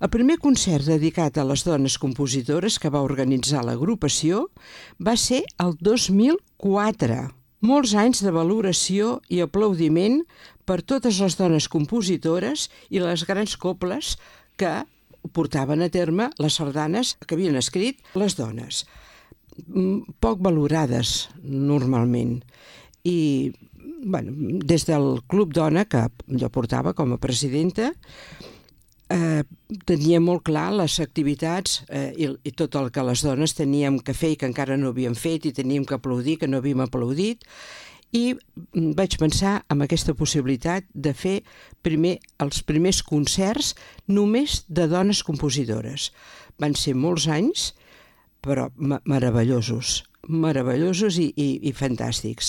El primer concert dedicat a les dones compositores que va organitzar l'agrupació va ser el 2004. Molts anys de valoració i aplaudiment per totes les dones compositores i les grans cobles que portaven a terme les sardanes que havien escrit les dones. Poc valorades normalment. I des del Club Dona, que jo portava com a presidenta, tenia molt clar les activitats i tot el que les dones teníem que fer i que encara no havíem fet i teníem que aplaudir, que no havíem aplaudit, i vaig pensar en aquesta possibilitat de fer els primers concerts només de dones compositores. Van ser molts anys, però meravellosos i fantàstics.